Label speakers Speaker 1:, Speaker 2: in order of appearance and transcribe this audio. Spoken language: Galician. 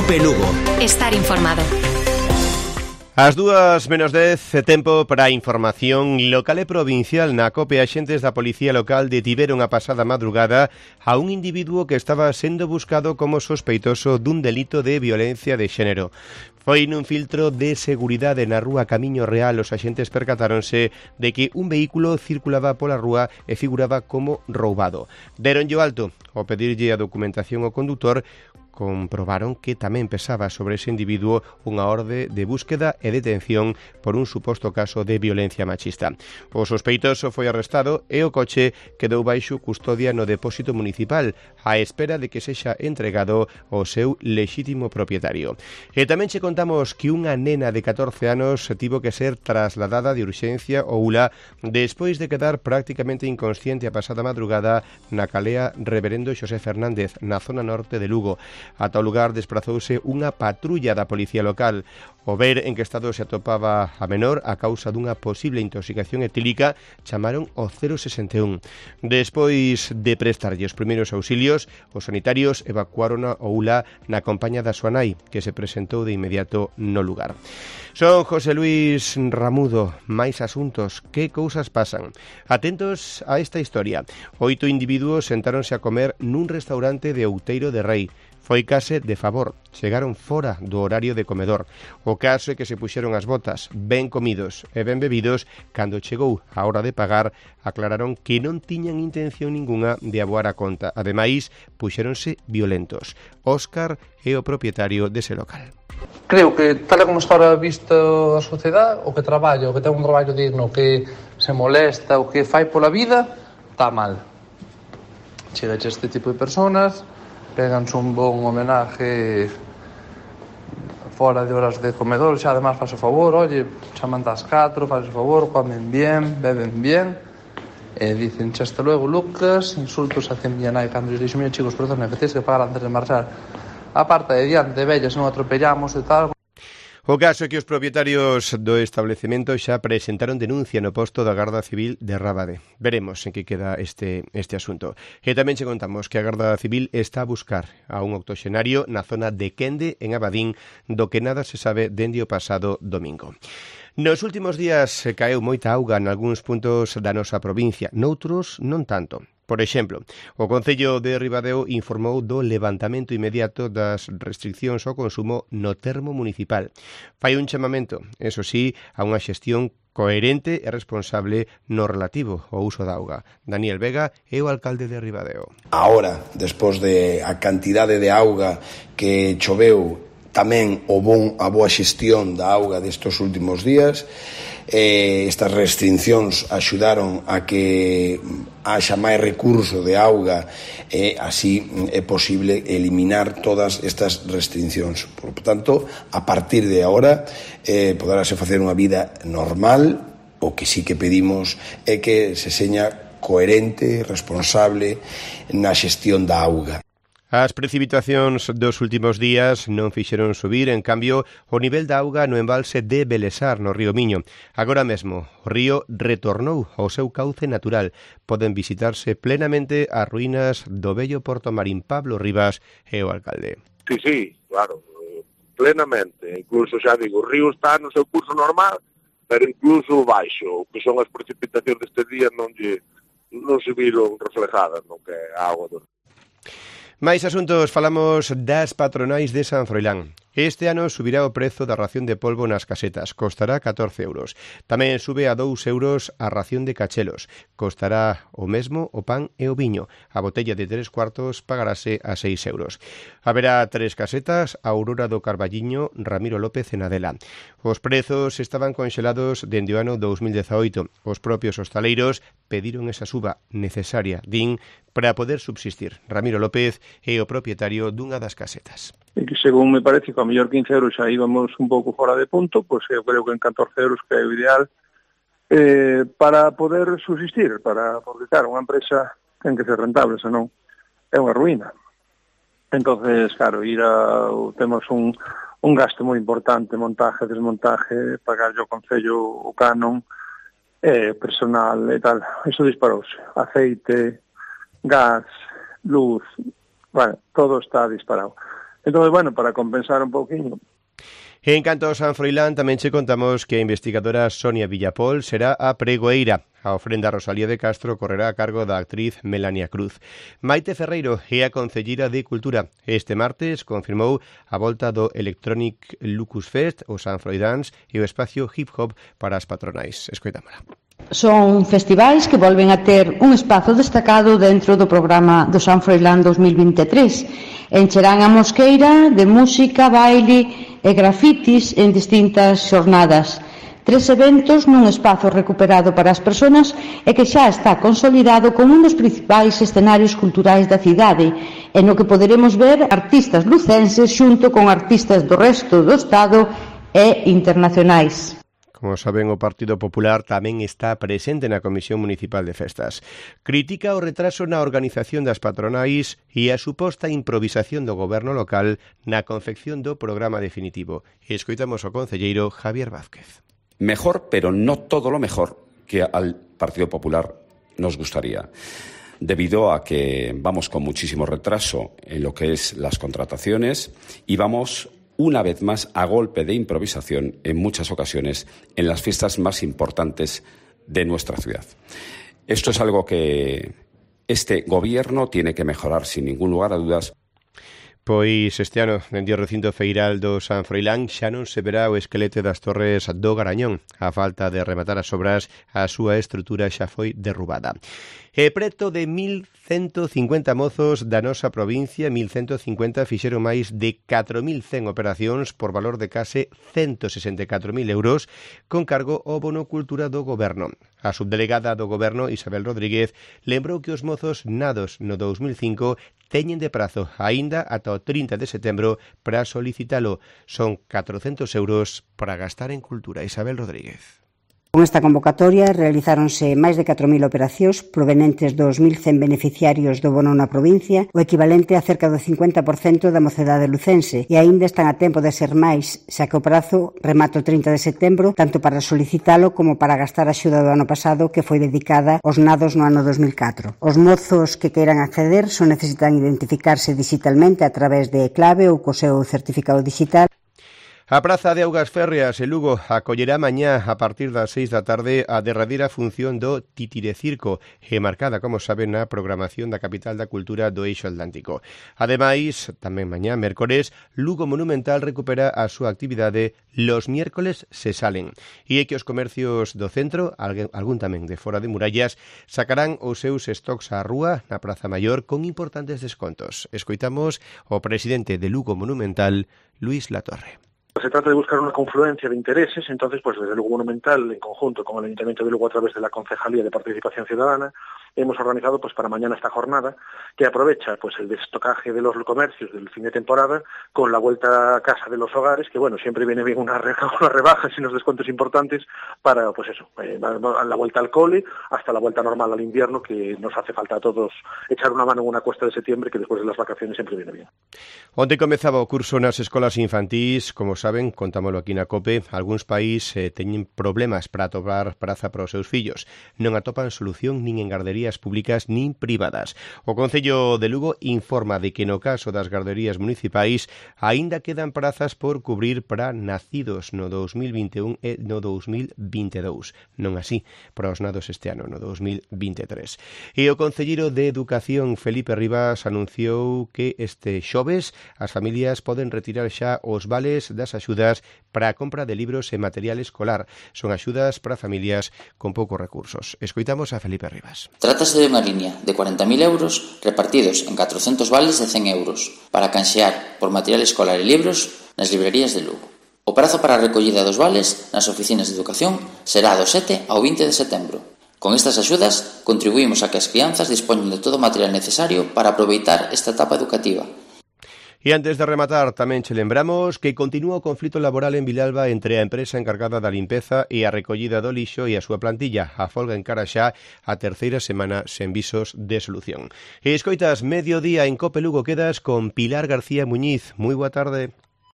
Speaker 1: COPE Lugo.
Speaker 2: Estar informado.
Speaker 3: As 2:10, tempo para a información local e provincial. Na COPE, axentes da Policía Local detiveron a pasada madrugada a un individuo que estaba sendo buscado como sospeitoso dun delito de violencia de xénero. Foi nun filtro de seguridade na rúa Camiño Real. Os axentes percatáronse de que un vehículo circulaba pola rúa e figuraba como roubado. Deronlle o alto. Ao pedirlle a documentación ao condutor, comprobaron que tamén pesaba sobre ese individuo unha orde de búsqueda e detención por un suposto caso de violencia machista. O sospeitoso foi arrestado e o coche quedou baixo custodia no depósito municipal á espera de que sexa entregado ao seu lexítimo propietario. E tamén che contamos que unha nena de 14 anos tivo que ser trasladada de urxencia ao ULA despois de quedar prácticamente inconsciente a pasada madrugada na calea Reverendo Xosé Fernández, na zona norte de Lugo. Ata o lugar desprazouse unha patrulla da Policía Local. O ver en que estado se atopaba a menor a causa dunha posible intoxicación etílica, chamaron o 061. Despois de prestarlle os primeiros auxilios, os sanitarios evacuaron ao ULA na compañía da súa nai, que se presentou de inmediato no lugar. Son José Luis Ramudo. Máis asuntos, que cousas pasan? Atentos a esta historia. 8 individuos sentáronse a comer nun restaurante de Outeiro de Rei. Foi case de favor, chegaron fora do horario de comedor. O caso é que se puxeron as botas, ben comidos e ben bebidos. Cando chegou a hora de pagar, aclararon que non tiñan intención ningunha de aboar a conta. Ademais, puxéronse violentos. Óscar é o propietario dese local.
Speaker 4: Creo que, tal como está ahora visto a sociedade, o que traballa, o que ten un traballo digno, o que se molesta, o que fai pola vida, está mal. Chega este tipo de personas, péganse un bon homenaje fora de horas de comedor, xa además faz o favor, oye, chaman das 4, faz o favor, comen bien, beben bien, e dicen, xa hasta luego, Lucas, insultos hacia miña nai, cando lles dixo, mira chicos, perdón, que tens que pagar antes de marchar. A parte de diante, vellas, non atropellamos e tal.
Speaker 3: O caso é que os propietarios do establecemento xa presentaron denuncia no posto da Garda Civil de Rábade. Veremos en que queda este asunto. E tamén che contamos que a Garda Civil está a buscar a un octoxenario na zona de Quende, en Abadín, do que nada se sabe dende o pasado domingo. Nos últimos días caeu moita auga nalgúns puntos da nosa provincia, noutros non tanto. Por exemplo, o Concello de Ribadeo informou do levantamento inmediato das restriccións ao consumo no termo municipal. Fai un chamamento, eso sí, a unha xestión coherente e responsable no relativo ao uso da auga. Daniel Vega é o alcalde de Ribadeo.
Speaker 5: Ahora, despois de a cantidade de auga que choveu, tamén a boa xestión da auga destes últimos días, estas restriccións axudaron a que haxa máis recurso de auga e así é posible eliminar todas estas restriccións. Por tanto, a partir de agora poderase facer unha vida normal. O que sí que pedimos é que se seña coherente, responsable na xestión da auga.
Speaker 3: As precipitacións dos últimos días non fixeron subir, en cambio, o nivel da auga no embalse de Belesar, no río Miño. Agora mesmo, o río retornou ao seu cauce natural. Poden visitarse plenamente as ruínas do bello Porto Marín. Pablo Rivas é o alcalde.
Speaker 6: Sí, claro, plenamente. Incluso, xa digo, o río está no seu curso normal, pero incluso baixo, que son as precipitacións deste día non se viron reflejadas no que é a auga do río.
Speaker 3: Máis asuntos, falamos das patronais de San Froilán. Este ano subirá o prezo da ración de polvo nas casetas, costará 14 euros. Tamén sube a 2 euros a ración de cachelos, costará o mesmo o pan e o viño. A botella de 3 cuartos pagarase a 6 euros. Haberá 3 casetas, Aurora do Carballiño, Ramiro López e Nadela. Os prezos estaban conxelados dende o ano 2018. Os propios hostaleiros pediron esa suba necesaria, din, para poder subsistir. Ramiro López é o propietario dunha das casetas.
Speaker 7: E que según me parece que a mellor 15 euros xa íbamos un pouco fora de punto, pois eu creo que en 14 euros que é o ideal para poder subsistir, porque claro, unha empresa ten que ser rentable, senón é unha ruína. Entonces, claro, temos un gasto moi importante, montaje, desmontaje, pagar o Concello o canon, personal e tal, iso disparouse. Aceite, gas, luz, bueno, todo está disparado. Entón, bueno, para compensar un pouquinho.
Speaker 3: En canto ao San Froilán, tamén che contamos que a investigadora Sonia Villapol será a pregoeira. A ofrenda Rosalía de Castro correrá a cargo da actriz Melania Cruz. Maite Ferreiro é a concelleira de Cultura. Este martes confirmou a volta do Electronic Lucus Fest, o San Froidáns e o espacio hip hop para as patronais. Escoitámola.
Speaker 1: Son festivais que volven a ter un espazo destacado dentro do programa do San Froilán 2023. Encherán a mosqueira de música, baile e grafitis en distintas xornadas. 3 eventos nun espazo recuperado para as persoas e que xa está consolidado como un dos principais escenarios culturais da cidade, e no que poderemos ver artistas lucenses xunto con artistas do resto do Estado e internacionais.
Speaker 3: Como saben, o Partido Popular tamén está presente na Comisión Municipal de Festas. Critica o retraso na organización das patronais e a suposta improvisación do goberno local na confección do programa definitivo. E escoitamos ao concelleiro Javier Vázquez.
Speaker 2: Mejor, pero no todo lo mejor que al Partido Popular nos gustaría. Debido a que vamos con muchísimo retraso en lo que es las contrataciones y vamos una vez más a golpe de improvisación en muchas ocasiones en las fiestas más importantes de nuestra ciudad. Esto es algo que este gobierno tiene que mejorar sin ningún lugar a dudas.
Speaker 3: Pois este ano, dende o recinto feiral do San Froilán, xa non se verá o esqueleto das torres do Garañón. A falta de rematar as obras, a súa estrutura xa foi derrubada. E preto de 1.150 mozos da nosa provincia, 1.150 fixeron máis de 4.100 operacións por valor de case 164.000 euros con cargo ao bono cultura do goberno. A subdelegada do goberno, Isabel Rodríguez, lembrou que os mozos nados no 2005 teñen de prazo aínda ata o 30 de setembro para solicitalo. Son 400 euros para gastar en cultura. Isabel Rodríguez.
Speaker 8: Con esta convocatoria realizáronse máis de 4.000 operacións provenientes dos 1.100 beneficiarios do bono na provincia, o equivalente a cerca do 50% da mocedade lucense, e aínda están a tempo de ser máis, xa que o prazo remata o 30 de setembro, tanto para solicitalo como para gastar a axuda do ano pasado que foi dedicada aos nados no ano 2004. Os mozos que queiran acceder só necesitan identificarse digitalmente a través de clave ou co seu certificado digital.
Speaker 3: A Praza de Augas Férreas en Lugo acollerá mañá a partir das 6 da tarde a derradeira función do Titirecirco, marcada, como saben, na programación da capital da cultura do Eixo Atlántico. Ademais, tamén mañá, mércores, Lugo Monumental recupera a súa actividade Los miércoles se salen. E é que os comercios do centro, algún tamén de fora de murallas, sacarán os seus stocks á rúa na Praza Maior con importantes descontos. Escoitamos o presidente de Lugo Monumental, Luis Latorre.
Speaker 7: Se trata de buscar una confluencia de intereses, entonces pues desde Lugo Monumental, en conjunto con el Ayuntamiento de Lugo a través de la Concejalía de Participación Ciudadana, hemos organizado pues para mañana esta jornada que aprovecha pues el destocaje de los comercios del fin de temporada con la vuelta a casa de los hogares, que bueno, siempre viene bien unas rebajas y unos descuentos importantes para pues eso, la vuelta al cole hasta la vuelta normal al invierno, que nos hace falta a todos echar una mano en una cuesta de septiembre que después de las vacaciones siempre viene bien.
Speaker 3: Onte comezaba o curso nas escolas infantís, como saben, contámoslo aquí na COPE, algúns país teñen problemas para atopar praza para os seus fillos. Non atopan solución nin en garderías públicas nin privadas. O Concello de Lugo informa de que no caso das garderías municipais aínda quedan prazas por cubrir para nacidos no 2021 e no 2022. Non así para os nados este ano, no 2023. E o concelleiro de Educación, Felipe Rivas, anunciou que este xoves as familias poden retirar xa os vales das axudas para a compra de libros e material escolar. Son axudas para familias con poucos recursos. Escoitamos a Felipe Rivas.
Speaker 9: Trátase de unha liña de 40.000 euros repartidos en 400 vales de 100 euros para canxear por material escolar e libros nas librerías de Lugo. O prazo para a recollida dos vales nas oficinas de educación será do 7 ao 20 de setembro. Con estas axudas contribuímos a que as crianzas dispoñen de todo o material necesario para aproveitar esta etapa educativa.
Speaker 3: E antes de rematar, tamén che lembramos que continúa o conflito laboral en Vilalba entre a empresa encargada da limpeza e a recollida do lixo e a súa plantilla. A folga encara xa a terceira semana sen visos de solución. E escoitas, mediodía en Cope Lugo, quedas con Pilar García Muñiz. Moi boa tarde.